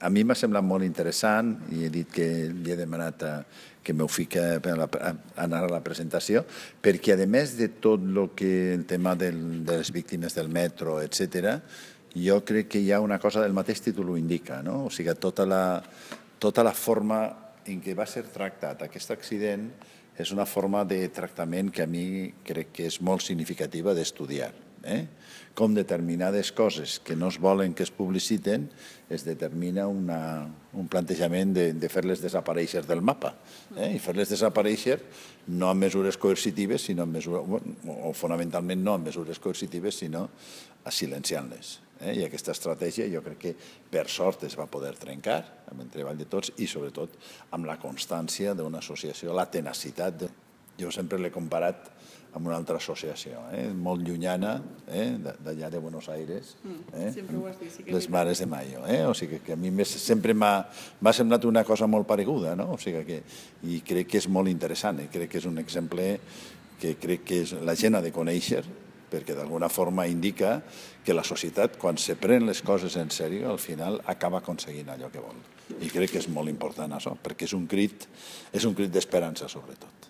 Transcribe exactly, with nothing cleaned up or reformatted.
a mi m'ha semblat molt interessant i he dit que li he demanat a, que m'ho fica per la, a anar a la presentació, perquè a més de tot el que el tema del, de les víctimes del metro, etcètera, jo crec que hi ha una cosa del mateix títol ho indica, no? O sigui, tota la, tota la forma en què va ser tractat aquest accident és una forma de tractament que a mi crec que és molt significativa d'estudiar. Eh? Com determinades coses que no es volen que es publiciten, es determina una, un plantejament de, de fer-les desaparèixer del mapa. Eh? I fer-les desaparèixer no amb mesures coercitives, sinó amb mesures, o fonamentalment no amb mesures coercitives, sinó silenciant-les. Eh? I aquesta estratègia jo crec que per sort es va poder trencar amb el treball de tots i sobretot amb la constància d'una associació, la tenacitat. De... Jo sempre l'he comparat amb una altra associació, eh? molt llunyana, eh? d'allà de Buenos Aires, eh? les Mares de Mayo. Eh? O sigui que a mi sempre m'ha semblat una cosa molt pareguda, no? O sigui que, i crec que és molt interessant, i crec que és un exemple que crec que és, la gent ha de conèixer, perquè d'alguna forma indica que la societat, quan se pren les coses en sèrio, al final acaba aconseguint allò que vol. I crec que és molt important això, perquè és un crit, és un crit d'esperança, sobretot.